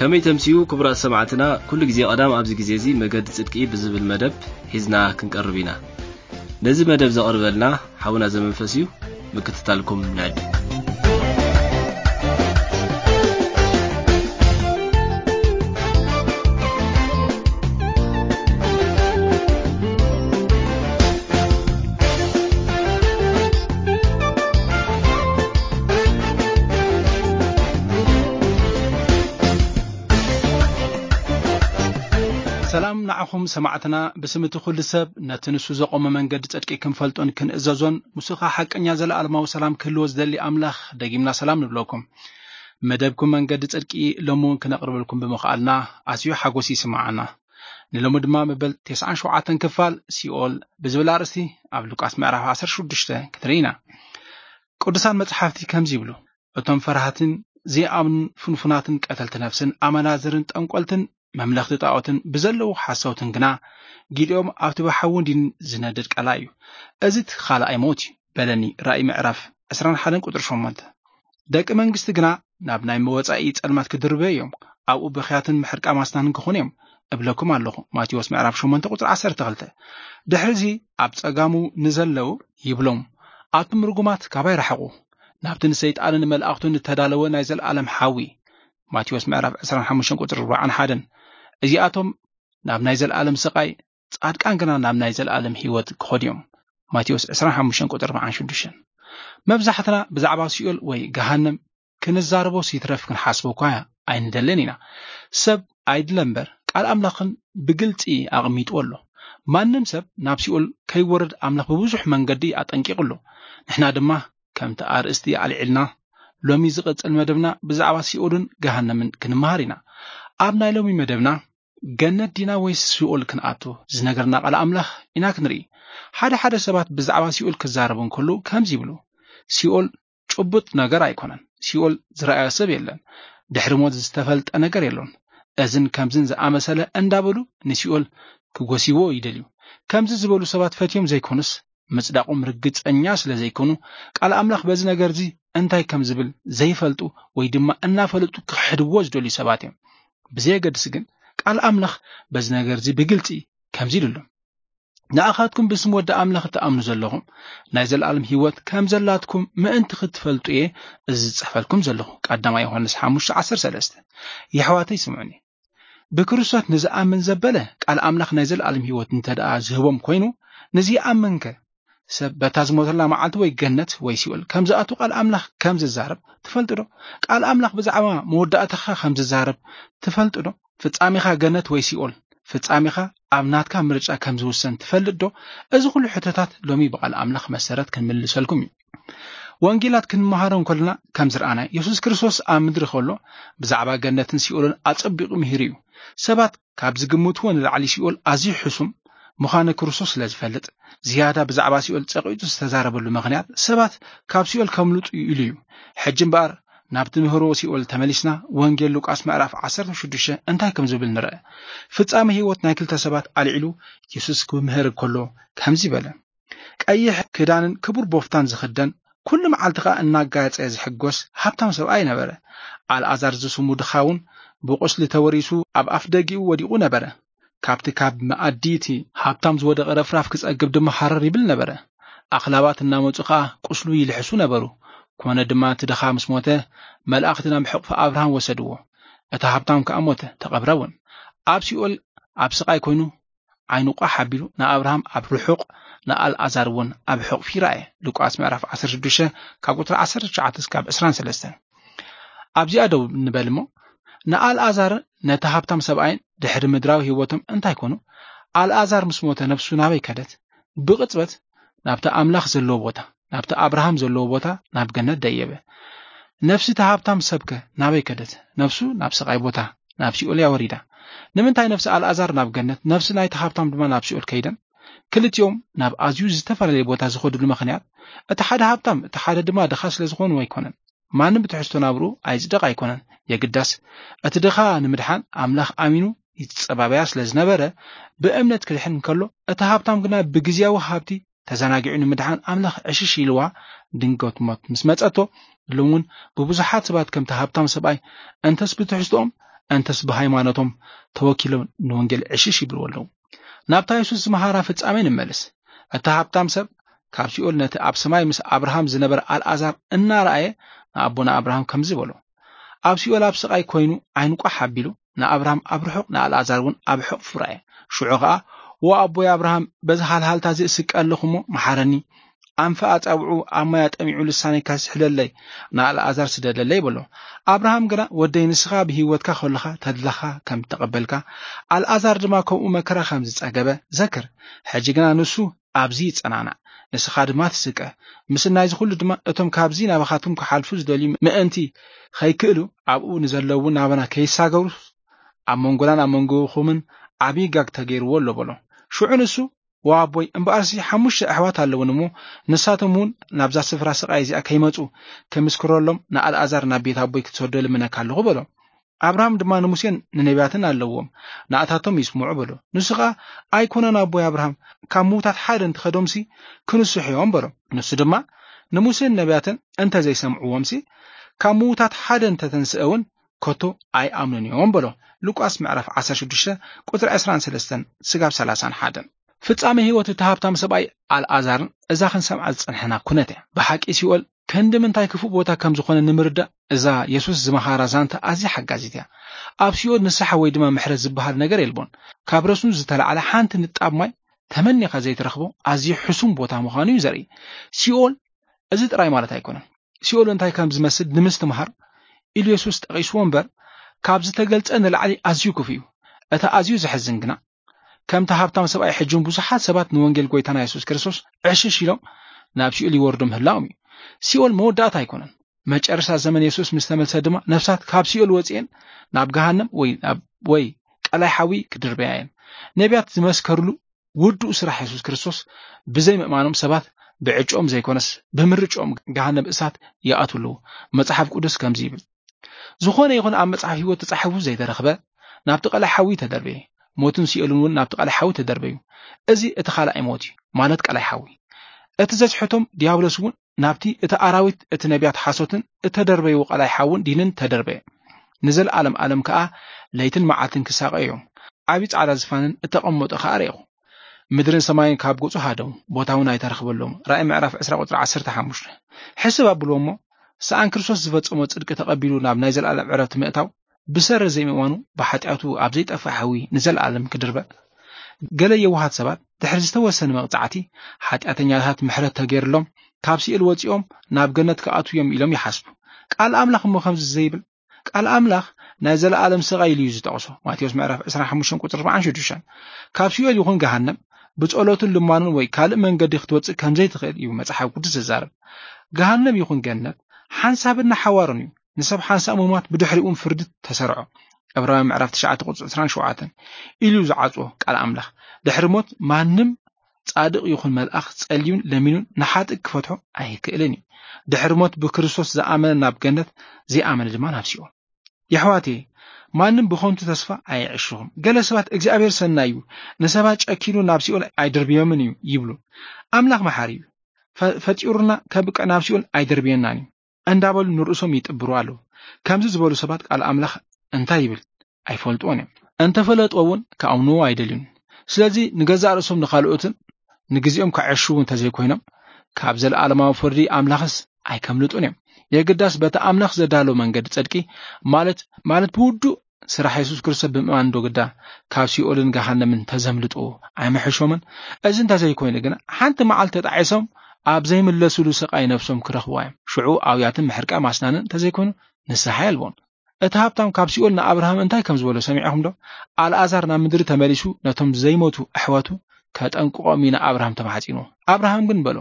ከመይ ተምስዩ ክቡራት ሰማዕትና፣ ኩሉ ግዜ ቀዳም ኣብዚ ግዜ እዚ መገዲ ጽድቂ ብዝብል መደብ ሒዝና ክንቀርብ ኢና። ነዚ መደብ ዘቕርበልና ሓውና ዘመንፈስ እዩ። ምክትታልኩም ንዕድም። ሰላም ንዓኹም ሰማዕትና። ብስም እቲ ኩሉ ሰብ ነቲ ንሱ ዘቖመ መንገዲ ጽድቂ ክንፈልጦን ክንእዘዞን፣ ምስኡ ኸኣ ሓቀኛ ዘለኣለማዊ ሰላም ክህልዎ ዝደሊ ኣምላኽ ደጊምና ሰላም ንብለኩም። መደብኩም መንገዲ ጽድቂ ሎሚ እውን ክነቕርበልኩም ብምኽኣልና ኣዝዩ ሓጎስ ይስምዓና። ንሎሚ ድማ መበል ተስዓን ሸውዓተን ክፋል ሲኦል ብዝብል ኣርእስቲ ኣብ ሉቃስ ምዕራፍ ዓሰርተ ሽዱሽተ ክንርኢ ኢና። ቅዱሳን መጽሓፍቲ ከምዚ ይብሉ፣ "እቶም ፈራህትን ዘይኣምኑን ፍንፉናትን ቀተልቲ ነፍስን ኣመናዝርን ጠንቆልትን መምለኽቲ ጣዖትን ብዘለዉ ሓሰውትን ግና ጊዲኦም ኣብቲ ብሓውን ዲን ዝነድድ ቀላይ እዩ። እዚ እቲ ካልኣይ ሞት እዩ" በለኒ። ራእይ ምዕራፍ ዕስራን ሓደን ቁጽሪ ሸሞንተ። "ደቂ መንግስቲ ግና ናብ ናይ መወጻኢ ጸልማት ክድርበዩ እዮም፣ ኣብኡ ብኽያትን ምሕርቃ ማስናንን ክኾኑ እዮም እብለኩም ኣለኹ" ማቴዎስ ምዕራፍ ሸሞንተ ቁጽሪ ዓሰርተ ክልተ። ድሕሪዚ ኣብ ጸጋሙ ንዘለዉ ይብሎም፣ "ኣቱም ርጉማት ካባይ ርሓቑ፣ ናብቲ ንሰይጣንን ንመላእኽቱን እተዳለወ ናይ ዘለኣለም ሓዊ" ማቴዎስ ምዕራፍ ዕስራን ሓሙሽተን ቁጽሪ ኣርባዓን ሓደን። እዚኣቶም ናብ ናይ ዘለኣለም ስቓይ፣ ጻድቃን ግና ናብ ናይ ዘለኣለም ህይወት ክኸዱ እዮም። ማቴዎስ ዕስራን ሓሙሽተን ቁጽሪ ኣርባዓን ሽዱሽተን። መብዛሕትና ብዛዕባ ሲኦል ወይ ገሃነም ክንዛረቦስ ይትረፍ ክንሓስቦ እኳ ኣይንደልን ኢና። ሰብ ኣይድለ እምበር ቃል ኣምላኽን ብግልጺ ኣቕሚጥዎ ኣሎ። ማንም ሰብ ናብ ሲኦል ከይወርድ ኣምላኽ ብብዙሕ መንገዲ ኣጠንቂቑ ኣሎ። ንሕና ድማ ከምቲ ኣርእስቲ ኣልዒልና ሎሚ ዝቕጽል መደብና ብዛዕባ ሲኦልን ገሃነምን ክንመሃር ኢና። ኣብ ናይ ሎሚ መደብና ገነት ዲና ወይስ ሲኦል ክንኣቱ ዝነገርና ቃል ኣምላኽ ኢና ክንርኢ። ሓደ ሓደ ሰባት ብዛዕባ ሲኦል ክዛረቡ እንከለዉ ከምዚ ይብሉ፣ "ሲኦል ጭቡጥ ነገር ኣይኮነን። ሲኦል ዝረኣዮ ሰብ የለን። ድሕሪ ሞት ዝተፈልጠ ነገር የሎን." እዝን ከምዝን ዝኣመሰለ እንዳበሉ ንሲኦል ክጎስይዎ ይደልዩ። ከምዚ ዝበሉ ሰባት ፈትዮም ዘይኮኑስ፣ ምጽዳቖም ርግጸኛ ስለ ዘይኮኑ፣ ቃል ኣምላኽ በዚ ነገር እዚ እንታይ ከም ዝብል ዘይፈልጡ ወይ ድማ እናፈለጡ ክሕድዎ ዝደልዩ ሰባት እዮም። ብዘየገድስ ግን፣ ቃል ኣምላኽ በዚ ነገር እዚ ብግልጺ ከምዚ ኢሉ ኣሎ፣ "ንኣኻትኩም ብስም ወዲ ኣምላኽ እትኣምኑ ዘለኹም፣ ናይ ዘለኣለም ህይወት ከም ዘላትኩም ምእንቲ ክትፈልጡ እየ እዚ ዝጽሕፈልኩም ዘለኹ" ቀዳማይ ዮሃንስ ሓሙሽተ ዓሰርተ ሰለስተ። የሕዋተይ ስምዑኒ። ብክርስቶስ ንዝኣምን ዘበለ ቃል ኣምላኽ ናይ ዘለኣለም ህይወት እንተ ደኣ ዝህቦም ኮይኑ፣ ንዝይኣምንከ ሰብ በታ ዝሞተላ መዓልቲ ወይ ገነት ወይ ሲኦል ከም ዝኣቱ ቃል ኣምላኽ ከም ዝዛረብ ትፈልጡ ዶ? ቃል ኣምላኽ ብዛዕባ መወዳእታኻ ከም ዝዛረብ ትፈልጡ ዶ? ፍጻሜኻ ገነት ወይ ሲኦል፣ ፍጻሜኻ ኣብ ናትካ ምርጫ ከም ዝውሰን ትፈልጥ ዶ? እዚ ኩሉ ሕቶታት ሎሚ ብቃል ኣምላኽ መሰረት ክንምልሰልኩም እዩ። ወንጌላት ክንመሃሮ እንከለና ከም ዝረኣናዮ፣ የሱስ ክርስቶስ ኣብ ምድሪ ከሎ ብዛዕባ ገነትን ሲኦልን ኣጸቢቑ ምሂሩ እዩ። ሰባት ካብ ዝግምትዎ ንላዕሊ ሲኦል ኣዝዩ ሕሱም ምዃኑ ክርስቶስ ስለ ዝፈልጥ፣ ዝያዳ ብዛዕባ ሲኦል ጸቒጡ ዝተዛረበሉ ምኽንያት ሰባት ካብ ሲኦል ከምልጡ ኢሉ እዩ። ሕጂ እምበኣር ናብ ትምህሮ ሲኦል ተመሊስና፣ ወንጌል ሉቃስ ምዕራፍ ዓሰርተ ሽዱሽተ እንታይ ከም ዝብል ንርአ። ፍጻመ ህይወት ናይ ክልተ ሰባት ኣልዒሉ የሱስ ክምህር እንከሎ ከምዚ በለ፣ "ቀይሕ ክዳንን ክቡር ቦፍታን ዝኽደን፣ ኩሉ መዓልቲ ኸኣ እናጋየጸ ዝሕጎስ ሃብታም ሰብኣይ ነበረ። ኣልኣዛር ዝስሙ ድኻ እውን ብቑስሊ ተወሪሱ ኣብ ኣፍ ደጊኡ ወዲቑ ነበረ። ካብቲ ካብ መኣዲ እቲ ሃብታም ዝወደቐ ረፍራፍ ክጸግብ ድማ ሃረር ይብል ነበረ። ኣኽላባት እናመጹ ኸኣ ቁስሉ ይልሕሱ ነበሩ። ኮነ ድማ እቲ ድኻ ምስ ሞተ፣ መላእኽቲ ናብ ሕቕፊ ኣብርሃም ወሰድዎ። እቲ ሃብታም ከኣ ሞተ፣ ተቐብረ እውን። ኣብ ሲኦል ኣብ ስቓይ ኮይኑ ዓይኑ ቋሕ ኣቢሉ ንኣብርሃም ኣብ ርሑቕ፣ ንኣልኣዛር እውን ኣብ ሕቕፊ ይረኣየ" ሉቃስ ምዕራፍ ዓሰርተ ሽዱሽተ ካብ ቁጽሪ ዓሰርተ ትሽዓተ እስካብ ዕስራን ሰለስተን። ኣብዚኣ ደው ንበል እሞ፣ ንኣልኣዛር ነቲ ሃብታም ሰብኣይን ድሕሪ ምድራዊ ህይወቶም እንታይ ኮኑ? ኣልኣዛር ምስ ሞተ ነፍሱ ናበይ ከደት? ብቕጽበት ናብቲ ኣምላኽ ዘለዎ ቦታ፣ ናብቲ ኣብርሃም ዘለዎ ቦታ፣ ናብ ገነት ደየበ። ነፍሲ እቲ ሃብታም ሰብከ ናበይ ከደት? ነፍሱ ናብ ስቓይ ቦታ፣ ናብ ሲኦል እያ ወሪዳ። ንምንታይ ነፍሲ ኣልኣዛር ናብ ገነት፣ ነፍሲ ናይቲ ሃብታም ድማ ናብ ሲኦል ከይደን? ክልቲኦም ናብ ኣዝዩ ዝተፈላለየ ቦታ ዝኸድሉ ምኽንያት፣ እቲ ሓደ ሃብታም፣ እቲ ሓደ ድማ ድኻ ስለ ዝኾኑ ኣይኮነን። ማንም ብትሕዝቶ ናብርኡ ኣይጽደቕ ኣይኮነን። የግዳስ፣ እቲ ድኻ ንምድሓን ኣምላኽ ኣሚኑ ይጸባበያ ስለ ዝነበረ፣ ብእምነት ክድሕን እንከሎ፣ እቲ ሃብታም ግና ብግዝያዊ ሃብቲ ተዘናጊዑ ንምድሓን ኣምላኽ ዕሽሽ ኢልዋ ድንገት ሞት ምስ መጸቶ፣ ሎም እውን ብብዙሓት ሰባት ከምቲ ሃብታም ሰብኣይ እንተስ ብትሕዝቶኦም እንተስ ብሃይማኖቶም ተወኪሎም ንወንጌል ዕሽሽ ይብልዎ ኣለዉ። ናብታ የሱስ ዝመሃራ ፍጻሜ ንመልስ። እቲ ሃብታም ሰብ ካብ ሲኦል ነቲ ኣብ ሰማይ ምስ ኣብርሃም ዝነበረ ኣልኣዛር እናረኣየ ንኣቦና ኣብርሃም ከምዚ በሎ። ኣብ ሲኦል ኣብ ስቓይ ኮይኑ ዓይኑ ቋሕ ኣቢሉ ንኣብርሃም ኣብ ርሑቕ ንኣልኣዛር እውን ኣብ ሕቕፉ ረኣየ። ሽዑ ኸኣ "ዎ ኣቦይ ኣብርሃም፣ በዚ ሃልሃልታ እዚ እስቀ ኣለኹ እሞ መሓረኒ። ኣንፈ ኣጻብዑ ኣብ ማይ ኣጠሚዑ ልሳነይ ከስሕለለይ ንኣልኣዛር ስደደለይ" በሎ። ኣብርሃም ግና "ወደይ ንስኻ ብህይወትካ ከለኻ ተድላኻ ከም እተቐበልካ ኣልኣዛር ድማ ከምኡ መከራ ከም ዝጸገበ ዘክር። ሕጂ ግና ንሱ ኣብዚ ይጸናናዕ፣ ንስኻ ድማ ትስቀ። ምስናይዚ ኩሉ ድማ እቶም ካብዚ ናባኻትኩም ክሓልፉ ዝደልዩ ምእንቲ ኸይክእሉ ኣብኡ ንዘለዉ ናባና ከይሳገሩስ ኣብ መንጎናን ኣብ መንጎኹምን ዓብዪ ጋግ ተገይርዎ ኣሎ" በሎ። ሽዑ ንሱ "ወኣቦይ፣ እምበኣርሲ ሓሙሽተ ኣሕዋት ኣለውን እሞ ንሳቶም እውን ናብዛ ስፍራ ስቓይ እዚኣ ከይመጹ ክምስክረሎም ንኣልኣዛር ናብ ቤት ኣቦይ ክትሰዶ ልምነካ ኣለኹ" በሎ። ኣብርሃም ድማ "ንሙሴን ንነቢያትን ኣለዎም፣ ንኣታቶም ይስምዑ" በሎ። ንሱ ኸኣ "ኣይኮነን ኣቦይ ኣብርሃም፣ ካብ ምዉታት ሓደ እንተኸዶምሲ ክንስሑ እዮም" በሎ። ንሱ ድማ "ንሙሴን ነቢያትን እንተ ዘይሰምዕዎምሲ ካብ ምዉታት ሓደ እንተተንስአ እውን ከቶ ኣይኣምኑን እዮም" በሎ። ሉቃስ ምዕራፍ ዓሰርተ ሽዱሽተ ቁጽሪ ዕስራን ሰለስተን ስጋብ ሰላሳን ሓደን። ፍጻሜ ህይወት እቲ ሃብታም ሰብኣይ ኣልኣዛርን እዛ ክንሰምዓ ዝጸንሐና ኩነት እያ። ብሓቂ ሲኦል ክንዲ ምንታይ ክፉእ ቦታ ከም ዝኾነ ንምርዳእ እዛ የሱስ ዝመሃራ ዛንታ ኣዝያ ሓጋዚት እያ። ኣብ ሲኦል ንስሓ ወይ ድማ ምሕረት ዝበሃል ነገር የልቦን። ካብ ረስኑ ዝተላዕለ ሓንቲ ንጣብ ማይ ተመኒኻ ዘይትረኽቦ ኣዝዩ ሕሱም ቦታ ምዃኑ እዩ ዘርኢ። ሲኦል እዚ ጥራይ ማለት ኣይኮነን። ሲኦል እንታይ ከም ዝመስል ንምስትምሃር ኢሉ የሱስ ጠቒስዎ እምበር፣ ካብ ዝተገልጸ ንላዕሊ ኣዝዩ ክፉእ እዩ። እቲ ኣዝዩ ዘሕዝን ግና፣ ከምቲ ሃብታም ሰብኣይ ሕጂ እውን ብዙሓት ሰባት ንወንጌል ጎይታና የሱስ ክርስቶስ ዕሽሽ ኢሎም ናብ ሲኦል ይወርዱ ምህላዎም እዩ። ሲኦል መወዳእታ ኣይኮነን። መጨረሻ ዘመን የሱስ ምስ ተመልሰ ድማ ነፍሳት ካብ ሲኦል ወጺኤን ናብ ገሃነም ወይ ናብ ወይ ቀላይ ሓዊ ክድርበያ እየን። ነቢያት ዝመስከርሉ ውዱእ ስራሕ የሱስ ክርስቶስ ብዘይ ምእማኖም ሰባት ብዕጭኦም ዘይኮነስ ብምርጭኦም ገሃነም እሳት ይኣትዉ ኣለዉ። መጽሓፍ ቅዱስ ከምዚ ይብል፣ "ዝኾነ ይኹን ኣብ መጽሓፍ ህይወት ተጻሒፉ ዘይተረኽበ ናብቲ ቀላይ ሓዊ ተደርበየ፣ ሞትን ሲኦልን እውን ናብቲ ቀላይ ሓዊ ተደርበዩ። እዚ እቲ ካልኣይ ሞት እዩ፣ ማለት ቀላይ ሓዊ። እቲ ዘስሕቶም ዲያብሎስ እውን ናብቲ እቲ ኣራዊት እቲ ነቢያት ሓሶትን እተደርበይዎ ቀላይ ሓውን ዲንን ተደርበየ። ንዘለኣለም ኣለም ከኣ ለይትን መዓልትን ክሳቐዩ እዮም። ዓቢ ጻዕዳ ዝፋንን እተቐመጦ ከኣ ርኤኹ። ምድርን ሰማይን ካብ ገጹ ሃደሙ፣ ቦታ እውን ኣይተረኽበሎም።" ራእይ ምዕራፍ ዕስራ ቁጽሪ ዓሰርተ ሓሙሽተ። ሕስብ ኣብልዎ እሞ፣ ሰኣን ክርስቶስ ዝፈጸሞ ጽድቂ ተቐቢሉ ናብ ናይ ዘለኣለም ዕረፍቲ ምእታው፣ ብሰሪ ዘይምእማኑ ብሓጢኣቱ ኣብ ዘይጠፍእ ሓዊ ንዘለኣለም ክድርበ። ገለ የዋሃት ሰባት ድሕሪ ዝተወሰነ መቕጻዕቲ ሓጢኣተኛታት ምሕረት ተገይርሎም ካብ ሲኦል ወጺኦም ናብ ገነት ክኣትዉ እዮም ኢሎም ይሓስቡ። ቃል ኣምላኽ እሞ ከምዚ ዘይብል? ቃል ኣምላኽ ናይ ዘለኣለም ስቓይ ኢሉ እዩ ዝጠቕሶ። ማቴዎስ ምዕራፍ ዕስራን ሓሙሽተን ቁጽሪ ኣርባዓን ሽዱሽተን። ካብ ሲኦል ይኹን ገሃነም ብጸሎትን ልማኑን ወይ ካልእ መንገዲ ክትወጽእ ከም ዘይትኽእል እዩ መጽሓፍ ቅዱስ ዝዛረብ። ገሃነም ይኹን ገነት ሓንሳብን ንሓዋሩን እዩ። ንሰብ ሓንሳብ ምሟት ብድሕሪኡ እውን ፍርዲ ተሰርዖ። ዕብራውያን ምዕራፍ ትሽዓተ ቁጽሪ ዕስራን ሸውዓተን ኢሉ ዝዓጽዎ ቃል ኣምላኽ። ድሕሪ ሞት ማንም ጻድቕ ይኹን መልኣኽ ጸልዩን ለሚኑን ንሓጥእ ክፈትሖ ኣይክእልን እዩ። ድሕሪ ሞት ብክርስቶስ ዝኣመነ ናብ ገነት፣ ዘይኣመነ ድማ ናብ ሲኦል። የሕዋተይ፣ ማንም ብኸንቱ ተስፋ ኣይዕሽኹም። ገለ ሰባት "እግዚኣብሔር ሰናይ እዩ፣ ንሰባት ጨኪኑ ናብ ሲኦል ኣይደርብዮምን እዩ" ይብሉ። ኣምላኽ መሓሪ እዩ። ፈ-፣ ፈጢሩና ከብቅዕ ናብ ሲኦል ኣይደርብየናን እዩ እንዳበሉ ንርእሶም ይጥብሩ ኣለዉ። ከምዚ ዝበሉ ሰባት ቃል ኣምላኽ እንታይ ይብል ኣይፈልጥዎን እዮም። እንተፈለጥዎ እውን ክኣምንዎ ኣይደልዩን። ስለዚ ንገዛእ ርእሶም ንኻልኦትን ንግዜኦም ከዐሽዉ እንተዘይኮይኖም ካብ ዘለኣለማዊ ፍርዲ ኣምላኽስ ኣይከምልጡን እዮም። የግዳስ በቲ ኣምላኽ ዘዳሎ መንገዲ ጽድቂ ማለት፣ ማለት ብውዱእ ስራሕ የሱስ ክርስቶስ ብምእማን ዶ ግዳ ካብ ሲኦልን ገሃነምን ተዘምልጡ ኣይምሕሾምን? እዚ እንተዘይኮይኑ ግና ሓንቲ መዓልቲ ተጣዒሶም ኣብ ዘይምለሱሉ ስቓይ ነብሶም ክረኽብዋ እዮም። ሽዑ ኣውያትን ምሕርቃ ማስናንን እንተዘይኮይኑ ንስሓ የልቦን። እቲ ሃብታም ካብ ሲኦል ንኣብርሃም እንታይ ከም ዝበሎ ሰሚዕኹም ዶ? ኣልኣዛር ናብ ምድሪ ተመሊሱ ነቶም ዘይሞቱ ኣሕዋቱ ከጠንቅቖም እዩ ንኣብርሃም ተማሕጺንዎ። ኣብርሃም ግን በሎ፣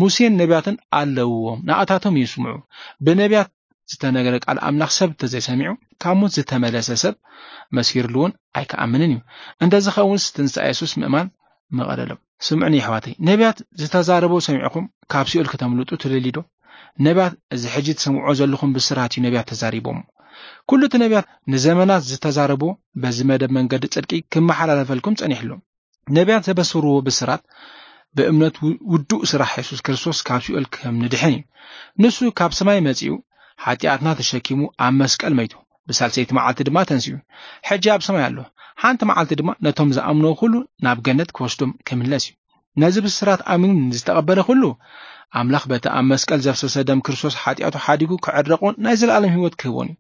"ሙሴን ነቢያትን ኣለውዎም፣ ንኣታቶም ይስምዑ። ብነቢያት ዝተነገረ ቃል ኣምላኽ ሰብ እንተዘይሰሚዑ፣ ካብ ሞት ዝተመለሰ ሰብ መስኪርሉ እውን ኣይክኣምንን እዩ። እንተዝኸውንስ ትንሳኤ የሱስ ምእማን ምቐለሎም። ስምዑኒ የሕዋተይ፣ ነቢያት ዝተዛረቦ ሰሚዕኹም ካብ ሲኦል ከተምልጡ ትደልዩ ዶ? ነቢያት፣ እዚ ሕጂ ትሰምዕዎ ዘለኹም ብስራት እዩ ነቢያት ተዛሪቦም። ኩሉ እቲ ነቢያት ንዘመናት ዝተዛረቦ በዚ መደብ መንገዲ ጽድቂ ክመሓላለፈልኩም ጸኒሕሉ። ነቢያት ዘበሰርዎ ብስራት ብእምነት ው-፣ ውዱእ ስራሕ የሱስ ክርስቶስ ካብ ሲኦል ከም ንድሕን እዩ። ንሱ ካብ ሰማይ መጺኡ ሓጢኣትና ተሸኪሙ ኣብ መስቀል መይቱ። ብሳልሰይቲ መዓልቲ ድማ ተንሲኡ። ሕጂ ኣብ ሰማይ ኣሎ። ሓንቲ መዓልቲ ድማ ነቶም ዝኣምንዎ ኩሉ ናብ ገነት ክወስዶም ክምለስ እዩ። ነዚ ብስራት ኣሚኑ ንዝተቐበለ ኩሉ ኣምላኽ በቲ ኣብ መስቀል ዘፍሰሰ ደም ክርስቶስ ሓጢኣቱ ሓዲጉ ክዕረቑን ናይ ዘለኣለም ህይወት ክህቦን እዩ።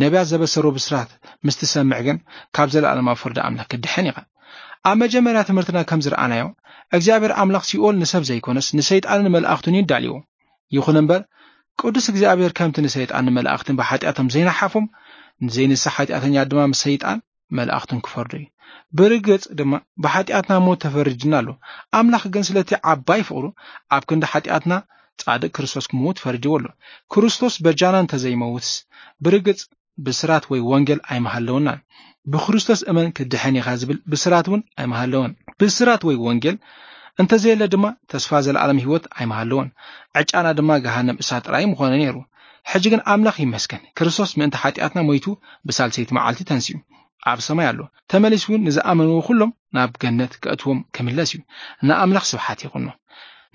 ነቢያት ዘበሰሮ ብስራት ምስ ትሰምዕ ግን ካብ ዘለኣለማዊ ፍርዲ ኣምላኽ ክድሕን ኢኻ። ኣብ መጀመርያ ትምህርትና ከም ዝረኣናዮ እግዚኣብሔር ኣምላኽ ሲኦል ንሰብ ዘይኮነስ ንሰይጣንን መልኣኽቱን እዩ ዳልዎ። ይኹን እምበር ቅዱስ እግዚኣብሔር ከምቲ ንሰይጣን ንመላእኽትን ብሓጢኣቶም ዘይነሓፎም ንዘይንስሕ ሓጢኣተኛ ድማ ምስ ሰይጣን መላእኽቱን ክፈርዶ እዩ። ብርግጽ ድማ ብሓጢኣትና ሞት ተፈሪድና ኣሎ። ኣምላኽ ግን ስለቲ ዓባይ ፍቕሩ ኣብ ክንዲ ሓጢኣትና ጻድቕ ክርስቶስ ክመውት ፈሪድዎ ኣሎ። ክርስቶስ በጃና እንተዘይመውትስ ብርግጽ ብስራት ወይ ወንጌል ኣይመሃለውናን። ብክርስቶስ እመን ክድሕን ኢኻ ዝብል ብስራት እውን ኣይመሃለውን። ብስራት ወይ ወንጌል እንተዘየለ ድማ ተስፋ ዘለኣለም ህይወት ኣይመሃለውን። ዕጫና ድማ ገሃነም እሳት ጥራይ ምኾነ ነይሩ። ሕጂ ግን ኣምላኽ ይመስገን፣ ክርስቶስ ምእንቲ ሓጢኣትና ሞይቱ ብሳልሰይቲ መዓልቲ ተንሲኡ ኣብ ሰማይ ኣሎ። ተመሊሱ እውን ንዝኣመንዎ ኩሎም ናብ ገነት ከእትዎም ክምለስ እዩ። ንኣምላኽ ስብሓት ይኹኖ።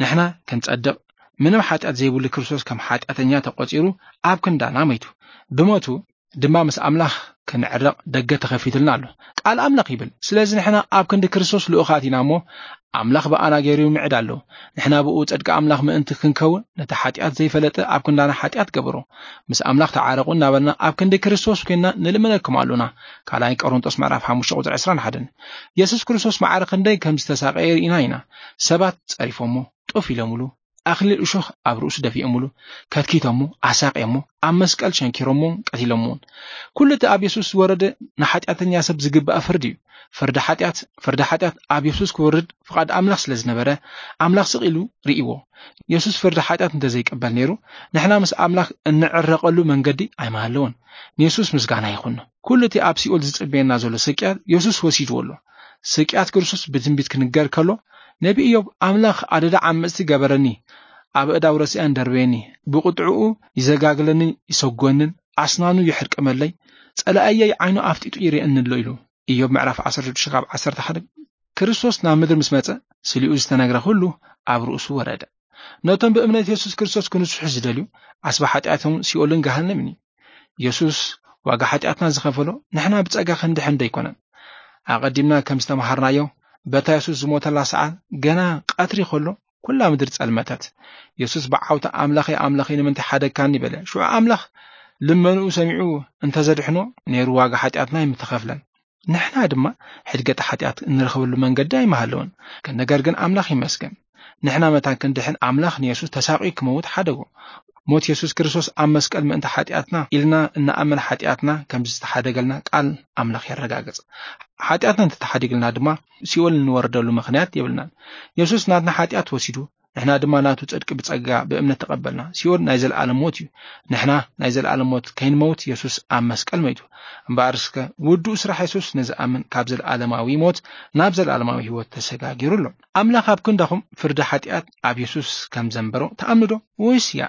ንሕና ክንጸድቕ ምንም ሓጢኣት ዘይብሉ ክርስቶስ ከም ሓጢኣተኛ ተቖጺሩ ኣብ ክንዳና ሞይቱ። ብሞቱ ድማ ምስ ኣምላኽ ክንዕረቕ ደገ ተኸፊትልና ኣሎ። ቃል ኣምላኽ ይብል፣ ስለዚ ንሕና ኣብ ክንዲ ክርስቶስ ልኡኻት ኢና እሞ ኣምላኽ ብኣና ገይሩ ይምዕድ ኣሎ። ንሕና ብኡ ጽድቂ ኣምላኽ ምእንቲ ክንከውን ነቲ ሓጢኣት ዘይፈለጠ ኣብ ክንዳና ሓጢኣት ገበሮ። ምስ ኣምላኽ ተዓረቑ እናበልና ኣብ ክንዲ ክርስቶስ ኮይንና ንልምነኩም ኣሉና። ካልኣይ ቆሮንጦስ ምዕራፍ ሓሙሽተ ቁጽሪ ዕስራን ሓደን። የሱስ ክርስቶስ ማዕረ ክንደይ ከም ዝተሳቐየ ርኢና ኢና። ሰባት ጸሪፎሞ፣ ጡፍ ኢሎምሉ፣ ኣኽሊል እሾኽ ኣብ ርእሱ ደፊኦምሉ፣ ከትኪቶሞ፣ ኣሳቕዮሞ፣ ኣብ መስቀል ሸንኪሮሞን ቀቲሎሞን። ኩሉ እቲ ኣብ የሱስ ዝወረደ ንሓጢኣተኛ ሰብ ዝግባእ ፍርዲ እዩ። ፍርዲ ሓጢኣት፣ ፍርዲ ሓጢኣት ኣብ የሱስ ክወርድ ፍቓድ ኣምላኽ ስለ ዝነበረ ኣምላኽ ስቕ ኢሉ ርእይዎ። የሱስ ፍርዲ ሓጢኣት እንተዘይቀበል ነይሩ ንሕና ምስ ኣምላኽ እንዕረቐሉ መንገዲ ኣይምሃለወን። ንየሱስ ምስጋና ይኹኖ። ኩሉ እቲ ኣብ ሲኦል ዝጽበየና ዘሎ ስቅያት የሱስ ወሲድዎ ኣሎ። ስቅያት ክርስቶስ ብትንቢት ክንገር ከሎ ነቢ ኢዮብ ኣምላኽ ኣደዳ ዓመጽቲ ገበረኒ፣ ኣብ እዳው ረሲኣን ደርበየኒ፣ ብቁጥዕኡ ይዘጋግለንን ይሰጎንን ኣስናኑ ይሕርቅመለይ፣ ጸላእየይ ዓይኑ ኣፍጢጡ ይርእየኒ ኣሎ ኢሉ። ኢዮብ ምዕራፍ ዓሰርተ ሽዱሽተ ካብ ዓሰርተ ሓደ። ክርስቶስ ናብ ምድሪ ምስ መጸ ስሊኡ ዝተነግረ ኩሉ ኣብ ርእሱ ወረደ። ነቶም ብእምነት የሱስ ክርስቶስ ክንስሑ ዝደልዩ ኣስባ ሓጢኣቶም ሲኦልን ገሃነምን እዩ። የሱስ ዋጋ ሓጢኣትና ዝኸፈሎ ንሕና ብጸጋ ክንድሕን ደይኮነን። ኣቐዲምና ከም ዝተምሃርናዮ በታ የሱስ ዝሞተላ ሰዓት ገና ቀትሪ ከሎ ኩላ ምድሪ ጸልመተት። የሱስ ብዓውታ ኣምላኸይ ኣምላኸይ ንምንታይ ሓደግካኒ በለ። ሽዑ ኣምላኽ ልመንኡ ሰሚዑ እንተዘድሕኖ ነይሩ ዋጋ ሓጢኣትና ኣይምተኸፍለን። ንሕና ድማ ሕድገት ሓጢኣት እንረኽበሉ መንገዲ ኣይምሃለውን። ነገር ግን ኣምላኽ ይመስገን። ንሕና መታን ክንድሕን ኣምላኽ ንየሱስ ተሳቒዩ ክመውት ሓደጎ። ሞት የሱስ ክርስቶስ ኣብ መስቀል ምእንቲ ሓጢኣትና ኢልና እናኣመን ሓጢኣትና ከም ዝተሓደገልና ቃል ኣምላኽ የረጋግጽ። ሓጢኣትና እንተተሓዲግልና ድማ ሲኦል እንወርደሉ ምኽንያት የብልናን። የሱስ ናትና ሓጢኣት ወሲዱ ንሕና ድማ ናቱ ጽድቂ ብጸጋ ብእምነት ተቐበልና። ሲኦል ናይ ዘለኣለም ሞት እዩ። ንሕና ናይ ዘለኣለም ሞት ከይንመውት የሱስ ኣብ መስቀል መይቱ። እምበኣር እስከ ውዱእ ስራሕ የሱስ ንዝኣምን ካብ ዘለኣለማዊ ሞት ናብ ዘለኣለማዊ ህይወት ተሰጋጊሩ ኣሎ። ኣምላኽ ኣብ ክንዳኹም ፍርዲ ሓጢኣት ኣብ የሱስ ከም ዘንበሮ ትኣምኑ ዶ? ወይስ ያ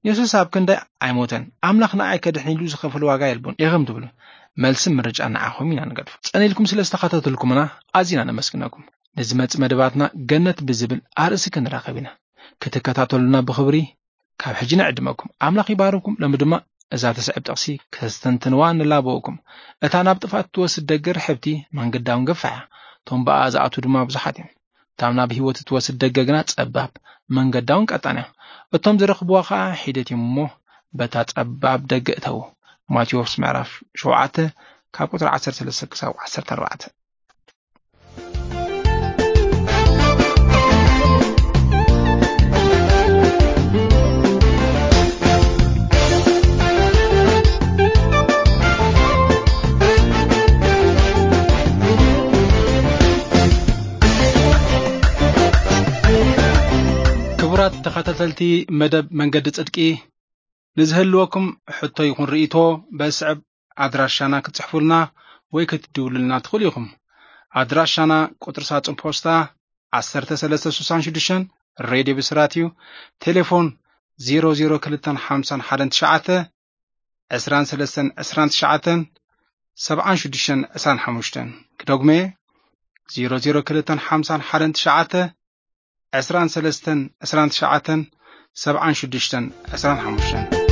የሱስ ኣብ ክንዳይ ኣይሞተን፣ ኣምላኽ ንኣይ ከድሕን ኢሉ ዝኸፈሎ ዋጋ የልቦን ኢኹም ትብሉ? መልስን ምርጫን ንዓኹም ኢና ንገድፎ። ጸኒልኩም ስለ ዝተኸታተልኩምና ኣዚና ነመስግነኩም። ንዝመጽእ መደባትና ገነት ብዝብል ኣርእሲ ክንራኸብ ኢና። ክትከታተሉና ብኽብሪ ካብ ሕጂ ንዕድመኩም። ኣምላኽ ይባርኩም። ሎሚ ድማ እዛ ትስዕብ ጥቕሲ ከስተንትንዋ ንላበወኩም። እታ ናብ ጥፍኣት ትወስድ ደገ ርሕብቲ መንገዳውን ገፋሕ እያ። እቶም ብኣ ዝኣትዉ ድማ ብዙሓት እዮም። እታ ናብ ህይወት እትወስድ ደገ ግና ጸባብ መንገዳውን ቀጣን እያ። እቶም ዝረኽብዋ ኸኣ ሒደት እዮም እሞ በታ ጸባብ ደገ እተዉ። ማቴዎስ ምዕራፍ ሸውዓተ ካብ ቁጽሪ ዓሰርተ ሰለስተ ክሳብ ዓሰርተ ኣርባዕተ። ክቡራት ተኸታተልቲ መደብ መንገዲ ጽድቂ፣ ንዝህልወኩም ሕቶ ይኹን ርእይቶ በስዕብ ኣድራሻና ክትጽሕፉልና ወይ ክትድውሉልና ትኽእሉ ኢኹም። ኣድራሻና ቁጽሪ ሳጹን ፖስታ ዓሰርተ ሰለስተ ስሳን ሽዱሽተን፣ ሬድዮ ብስራት እዩ። ቴሌፎን ዜሮ ዜሮ ክልተን ሓምሳን ሓደን ትሽዓተ፣ ዕስራን ሰለስተን ዕስራን ትሽዓተን፣ ሰብዓን ሽዱሽተን ዕስራን ሓሙሽተን። ክደግሞ እየ፣ ዜሮ ዜሮ ክልተን ሓምሳን ሓደን ትሽዓተ፣ ዕስራን ሰለስተን ዕስራን ትሽዓተን፣ ሰብዓን ሽዱሽተን ዕስራን ሓሙሽተን።